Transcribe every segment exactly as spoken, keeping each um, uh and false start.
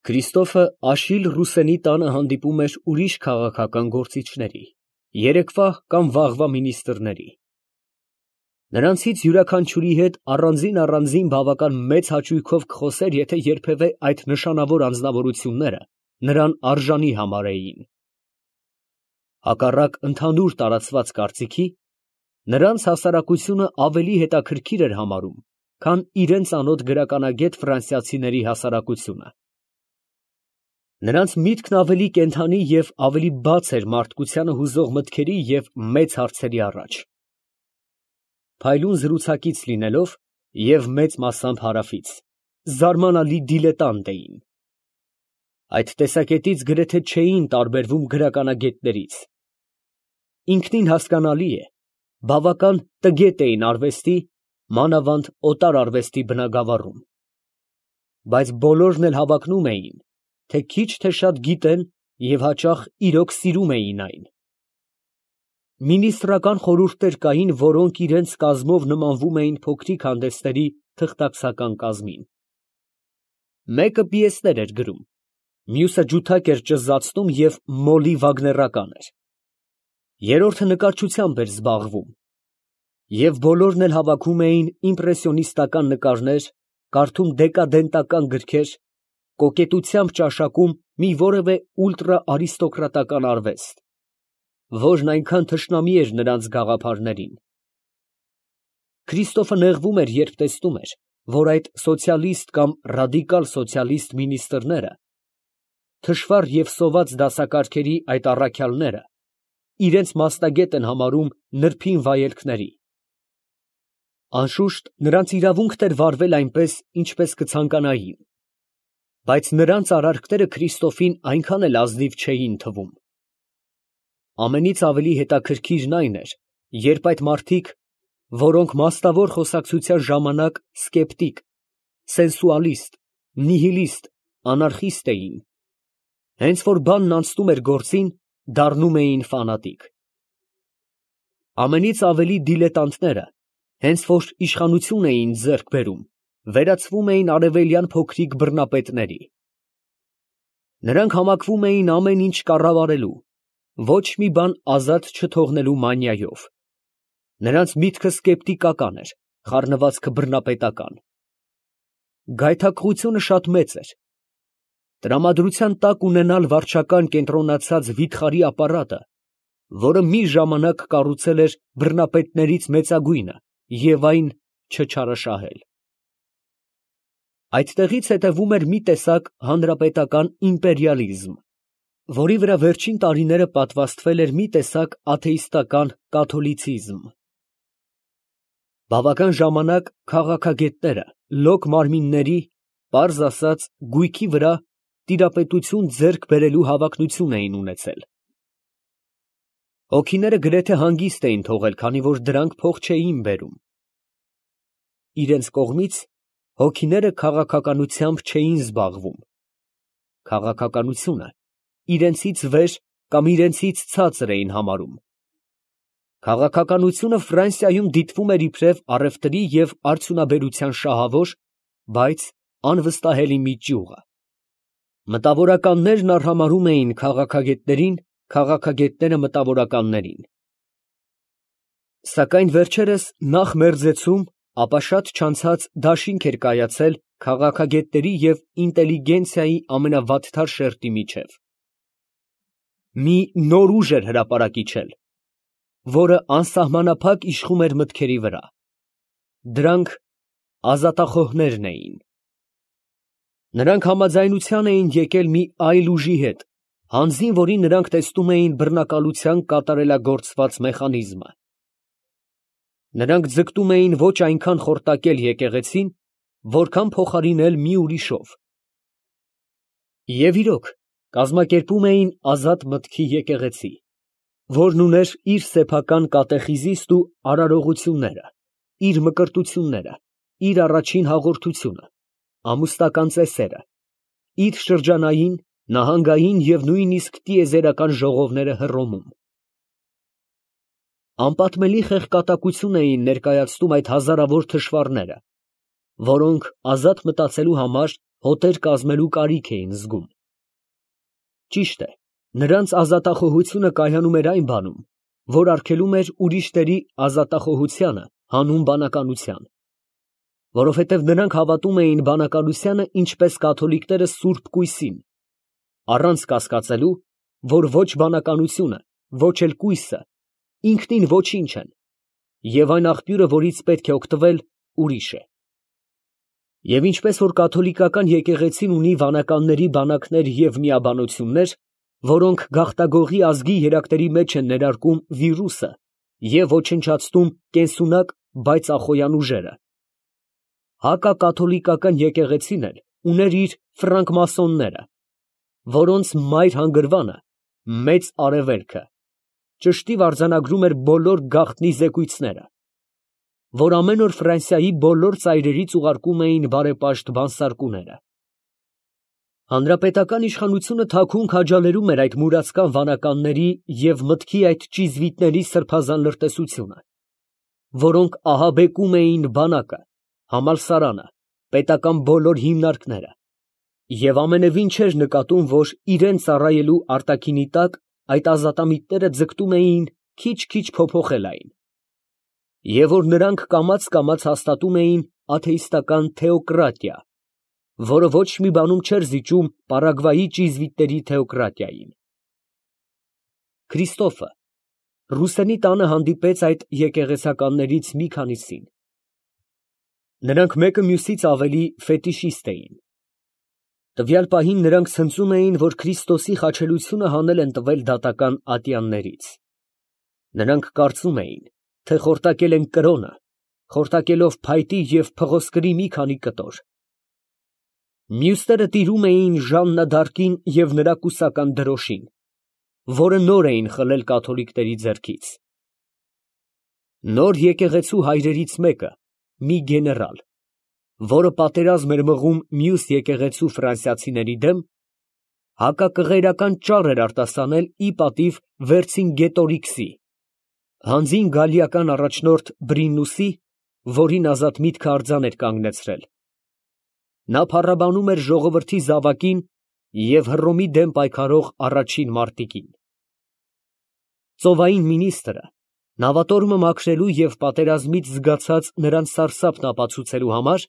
Քրիստոֆը Աշիլ Ռուսենի տանը հանդիպում էր ուրիշ քաղաքական գործիչների, երեկվա կամ վաղվա մինիստրների։ Նրանցից յուրաքանչյուրի հետ առանձին֊առանձին բավական մեծ հաճույքով կխոսեր, եթե երբևէ այդ նշանավոր անձնավորությունները նրան արժանի համարեին։ Հակառակ ընդհանուր տարածված կարծիքի, նրանց հասարակությունը ավելի հետաքրքիր էր համարում, քան իրենց անոտ գրականագետ ֆրանսիացիների հասարակությունը։ Նրանց միտքն ավելի կենդանի և ավելի բաց էր մարդկությանը հուզող մտքերի և մեծ հարցերի առաջ։ Փայլուն զրուցակից լինելով և մեծ մասամբ հարավից, զարմանալի դիլետանտ էին։ Այդ տեսակետից գրեթե չէին տարբերվում գրականագետներից։ Ինքնին հասկանալի է, բավական տգետ էին արվեստի, մանավանդ օտար արվեստի բնագավառում։ Բայց բոլորն էլ հավակնում էին, թե քիչ թե շատ գիտեն և հաճախ իրոք սիրում էին այն։ Մինիստրական խորհուրդներ կային, որոնք իրենց կազմով նմանվում էին փոքրիկ հանդեսների թղթակցական կազմին։ Մեկը պիեսներ էր գրում, մյուսը ջութակ էր ճզացնում և մոլի վագներական էր, երրորդը նկարչությամբ էր զբաղվում, և բոլորն էլ հավաքում էին իմպրեսիոնիստական նկարներ, կարդում դեկադենտական գրքեր, կոկետությամբ ճաշակում մի որևէ ուլտրաարիստոկրատական արվեստ, որն այնքան թշնամի էր նրանց գաղափարներին։ Քրիստոֆը նեղվում էր, երբ տեսնում էր, որ այդ սոցիալիստ կամ ռադիկալ սոցիալիստ մինիստրները, թշվառ և սոված դասակարգերի այդ առաքյալները, իրենց մասնագետ են համարում նրբին վայելքների։ Անշուշտ, նրանց իրավունքն էր վարվել այնպես, ինչպես կցանկանային, բայց նրանց արարքները Քրիստոֆին այնքան էլ ազնիվ չէին թվում։ Ամենից ավելի հետաքրքիրն այն էր, երբ այդ մարդիկ, որոնք մասնավոր խոսակցության ժամանակ սկեպտիկ, սենսուալիստ, նիհիլիստ, անարխիստ էին, հենց որ բանն անցնում էր գործին, դառնում էին ֆանատիկ։ Ամենից ավելի դիլետանտները, հենց որ իշխանություն էին ձեռք բերում, վերածվում էին արևելյան փոքրիկ բռնապետների։ Նրանք համակվում էին ամեն ինչ կառավարելու, ոչ մի բան ազատ չթողնելու մանիայով։ Նրանց միտքը սկեպտիկական էր, խառնվածքը բռնապետական։ Գայթակղությունը շատ մեծ էր։ Տրամադրության տակ ունենալ վարչական կենտրոնացած վիթխարի ապարատը, որը մի ժամանակ կառուցել էր բռնապետներից մեծագույնը, և այն չչարաշահել։ Այդտեղից հետևում էր մի տեսակ հանրապետական իմպերիալիզմ, որի վրա վերջին տարիները պատվաստվել էր մի տեսակ աթեիստական կաթոլիցիզմ։ Բավական ժամանակ քաղաքագետները լոկ մարմինների, պարզ ասած, գույքի վրա տիրապետություն ձեռք բերելու հավակնություն էին ունեցել։ Հոգիները գրեթե հանգիստ էին թողել, քանի որ դրանք փող չէին բերում։ Իրենց կողմից հոգիները քաղաքականությամբ չէին զբաղվում։ Քաղաքականությունը իրենցից վեր կամ իրենցից ցածր էին համարում։ Քաղաքականությունը Ֆրանսիայում դիտվում էր իբրև առևտրի և արդյունաբերության շահավոր, բայց անվստահելի մի ճյուղը։ Մտավորականներն արհամարհում էին քաղաքագետներին, քաղաքագետները մտավորականներին։ Սակայն վերջերս նախ մերձեցում, ապա շատ չանցած դաշինք էր կայացել քաղաքագետների և ինտելիգենցիայի ամենավատթար շերտի միջև։ Մի նոր ուժ էր հրապարակ իջել, որը անսահմանափակ իշխում էր մտքերի վրա։ Դրանք ազատախոհներն էին։ Նրանք համաձայնության էին եկել մի այլ ուժի հետ, հանձին որի նրանք տեսնում էին բռնակալության կատարելագործված մեխանիզմը։ Նրանք ձգտում էին ոչ այնքան խորտակել եկեղեցին, որքան փոխարինել մի ուրիշով։ Եվ իրոք, կազմակերպում էին ազատ մտքի եկեղեցի, որն ուներ իր սեփական կատեխիզիստ ու արարողությունները, իր մկրտությունները, իր առաջին հաղորդությունը, ամուսնական ծեսերը, իր շրջանային, նահանգային և նույնիսկ տիեզերական ժողովները Հռոմում։ Անպատմելի խեղկատակություն էին ներկայացնում այդ հազարավոր թշվառները, որոնք ազատ մտածելու համար հոտեր կազմելու կարիք էին զգում։ Ճիշտ է, նրանց ազատախոհությունը կայանում էր այն բանում, որ արգելում էր ուրիշների ազատախոհությանը հանուն բանականության, որովհետև նրանք հավատում էին բանականությանը ինչպես կաթոլիկները սուրբ կույսին, առանց կասկածելու, որ ոչ բանականությունը, ոչ էլ կույսը ինքնին ոչինչ են, և այն աղբյուրը, որից պետք է օգտվել, ուրիշ է։ Եվ ինչպես որ կաթոլիկական եկեղեցին ունի վանականների բանակներ և միաբանություններ, որոնք գաղթագողի ազգի երակների մեջ են ներարկում վիրուսը և ոչնչացնում կենսունակ, բայց ախոյան ուժերը, հակակաթոլիկական եկեղեցին էլ ուներ իր ֆրանկմասոնները, որոնց մայր հանգրվանը մեծ Արևելքը ճշտիվ արձանագրում էր բոլոր գաղտնի զեկույցները, որ ամեն օր Ֆրանսիայի բոլոր ծայրերից ուղարկում էին բարեպաշտ բանսարկուները։ Հանրապետական իշխանությունը թաքուն քաջալերում էր այդ մուրացկան վանականների և մտքի այդ ճիզվիտների սրբազան լրտեսությունը, որոնք ահաբեկում էին բանակը, համալսարանը, պետական բոլոր հիմնարկները, և ամենևին չէր նկատում, որ իրան ծառայելու արտաքինի տակ այդ ազատամիտները ձգտում էին քիչ֊քիչ փոփոխել այն, և որ նրանք կամաց֊կամաց հաստատում էին աթեիստական թեոկրատիա, որը ոչ մի բանում չէր զիջում Պարագվայի ճիզվիտների թեոկրատիային։ Քրիստոֆը Ռուսենի տանը հանդիպեց այդ եկեղեցականներից մի քանիսին։ Նրանք մեկը մյուսից ավելի ֆետիշիստ էին։ Տվյալ պահին նրանք ցնծում էին, որ Քրիստոսի խաչելությունը հանել են տվել դատական ատյաններից։ Նրանք կարծում էին, թե խորտակել են կրոնը, խորտակելով փայտի և փղոսկրի մի քանի կտոր։ Մյուսները տիրում էին Ժաննա դ'Արկին և նրա կուսական դրոշին, որը նոր էին խլել կաթոլիկների ձեռքից։ Նոր եկեղեցու հայրերից մեկը, մի գեներալ, որը պատերազմ էր մղում մյուս եկեղեցու ֆրանսիացիների դեմ, հակակղերական ճառ էր արտասանել ի պատիվ Վերցինգետորիքսի, հանձին գալիական առաջնորդ Բրինուսի, որին ազատ միտքը արձան էր կանգնեցրել։ Նա փառաբանում էր ժողովրդի զավակին և Հռոմի դեմ պայքարող առաջին մարտիկին։ Ծովային մինիստրը, նավատորմը մաքրելու և պատերազմից զգացած նրանց սարսափն ապացուցելու համար,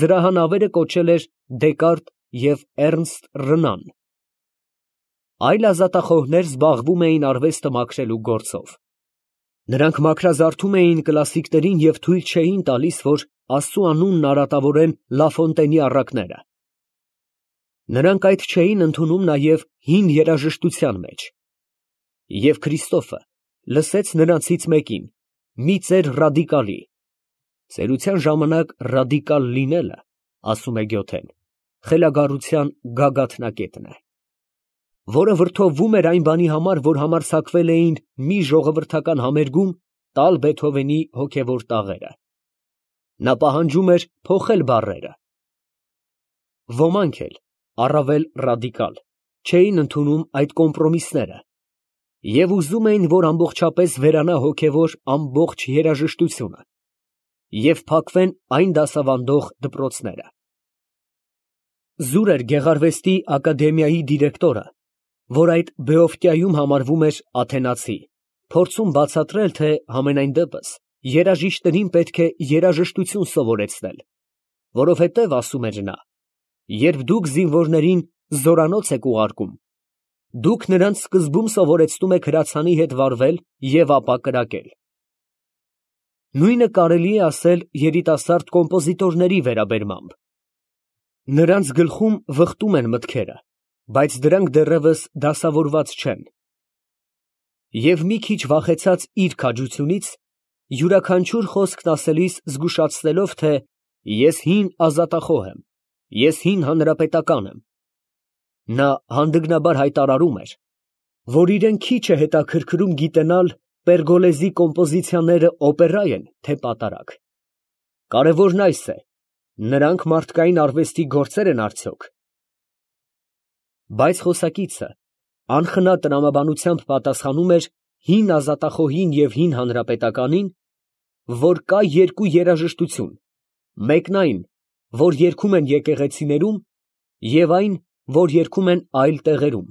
զրահանավերը կոչել էր Դեկարտ և Էռնստ Ռնան։ Այլ ազատախոհներ զբաղվում էին արվեստը մաքրելու գործով։ Նրանք մաքրազարդում էին կլասիկներին և թույլ չէին տալիս, որ Աստծու անունն արատավորեն Լաֆոնտենի առակները։ Նրանք այդ չէին ընդունում նաև հին երաժշտության մեջ։ Եվ Քրիստոֆը լսեց նրանցից մեկին, մի ծեր ռադիկալի (ծերության ժամանակ ռադիկալ լինելը, ասում է Գյոթեն, խելագարության գագաթնակետն է), որը վրդովվում էր այն բանի համար, որ համարձակվել էին մի ժողովրդական համերգում տալ Բեթհովենի հոգևոր տաղերը։ Նա պահանջում էր փոխել բառերը։ Ոմանք էլ, առավել ռադիկալ, չէին ընդունում այդ կոմպրոմիսները և ուզում էին, որ ամբողջապես վերանա հոգևոր ամբողջ երաժշտությունը և փակվեն այն դասավանդող դպրոցները։ Զուր էր Գեղարվեստի ակադեմիայի դիրեկտորը, որ այդ Բեոֆկյայում համարվում էր աթենացի, փորձում բացատրել, թե համենայն դեպս երաժիշտներին պետք է երաժշտություն սովորեցնել, որովհետև, ասում էր նա, երբ դուք զինվորներին զորանոց եք ուղարկում, դուք նրանց սկզբում սովորեցնում եք հրացանի հետ վարվել և ապա կրակել։ Նույնը կարելի է ասել երիտասարդ կոմպոզիտորների վերաբերմամբ։ Նրանց գլխում վխտում են մտքերը, բայց դրանք դեռևս դասավորված չեն։ Եվ մի քիչ վախեցած իր քաջությունից, յուրաքանչյուր խոսքն ասելիս զգուշացնելով, թե ես հին ազատախոհ եմ, ես հին հանրապետական եմ, նա հանդգնաբար հայտարարում էր, որ իրեն քիչ է հետաքրքրում գիտենալ Պերգոլեզի կոմպոզիցիաները օպերա են, թե պատարագ։ Կարևորն այս է, նրանք մարդկային արվեստի գործեր են արդյոք։ Բայց խոսակիցը անխնա տրամաբանությամբ պատասխանում էր հին ազատախոհին և հին հանրապետականին, որ կա երկու երաժշտություն, մեկն այն, որ երգում են եկեղեցիներում, և այն, որ երգում են այլ տեղերում։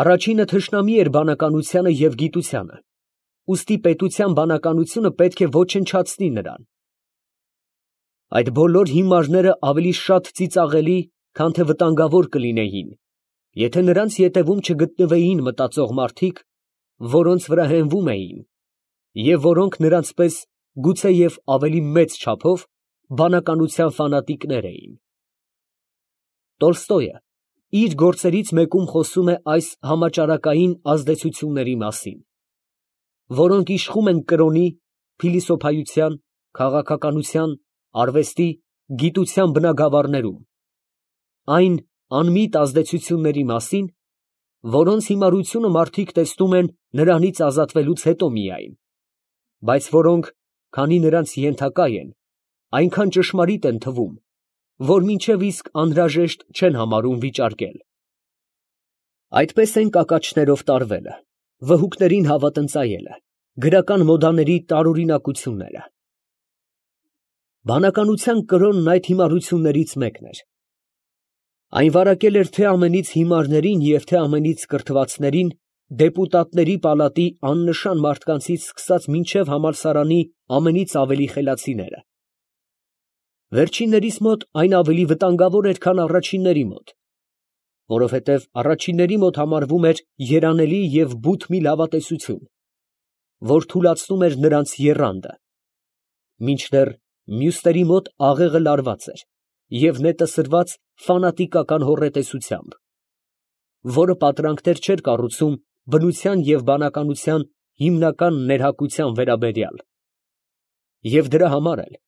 Առաջինը թշնամի էր բանականությանը և գիտությանը, ուստի պետության բանականությունը պետք է ոչնչացնի նրան։ Այդ բոլոր հիմարները ավելի շատ ծիծաղելի, քան թե վտանգավոր կլինեին, եթե նրանց ետևում չգտնվեին մտածող մարդիկ, որոնց վրա հենվում էին, և որոնք նրանց պես, գուցեև ավելի մեծ չափով, բանականության ֆանատիկներ էին։ Տոլստոյը իր գործերից մեկում խոսում է այս համաճարակային ազդեցությունների մասին, որոնք իշխում են կրոնի, փիլիսոփայության, քաղաքականության, արվեստի, գիտության բնագավառներում, այն անմիտ ազդեցությունների մասին, որոնց հիմարությունը մարդիկ տեսնում են նրանից ազատվելուց հետո միայն, բայց որոնք, քանի նրանց ենթակա են, այնքան ճշմարիտ են թվում, որ մինչև իսկ անհրաժեշտ չեն համարում վիճարկել։ Այդպես են կակաչներով տարվելը, վհուկներին հավատնծայելը, գրական մոդաների տարօրինակությունները։ Բանականության կրոնն այդ հիմարություններից մեկն էր։ Այն վարակել էր թե ամենից հիմարներին և թե ամենից կրթվածներին, դեպուտատների պալատի աննշան մարդկանցից սկսած մինչև համալսարանի ամենից ավելի խելացիները։ Վերջիններիս մոտ այն ավելի վտանգավոր էր, քան առաջինների մոտ, որովհետև առաջինների մոտ համարվում էր երանելի և բութ մի լավատեսություն, որ թուլացնում էր նրանց եռանդը, մինչդեռ մյուսների մոտ աղեղը լարված էր և նետը սրված ֆանատիկական հոռետեսությամբ, որը պատրանքներ չէր կառուցում բնության և բանականության հիմնական ներհակության վերաբերյալ, և դրա համար էլ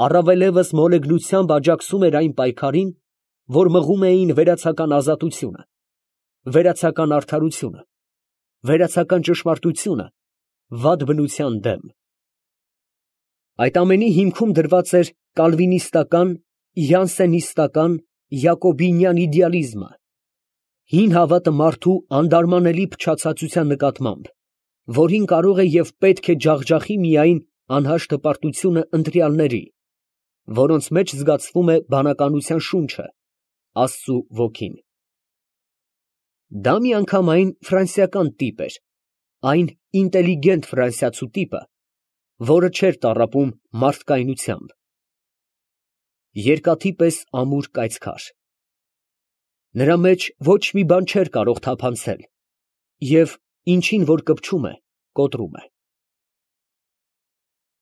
առավելևս մոլեգնությամբ աջակցում էր այն պայքարին, որ մղում էին վերացական ազատությունը, վերացական արդարությունը, վերացական ճշմարտությունը վատ բնության դեմ։ Այդ ամենի հիմքում դրված էր կալվինիստական, յանսենիստական, յակոբինյան իդեալիզմը, հին հավատը մարդու անդարմանելի փչացածության նկատմամբ, որին կարող է և պետք է ջախջախի միայն անհաշ հպարտությունը ընտրյալների, որոնց մեջ զգացվում է բանականության շունչը, Աստծու ոգին։ Դա միանգամայն ֆրանսիական տիպ էր, այն ինտելիգենտ ֆրանսիացու տիպը, որը չէր տառապում մարդկայնությամբ, երկաթի պես ամուր կայծքար։ Նրա մեջ ոչ մի բան չէր կարող թափանցել և ինչին որ կպչում է, կոտրում է։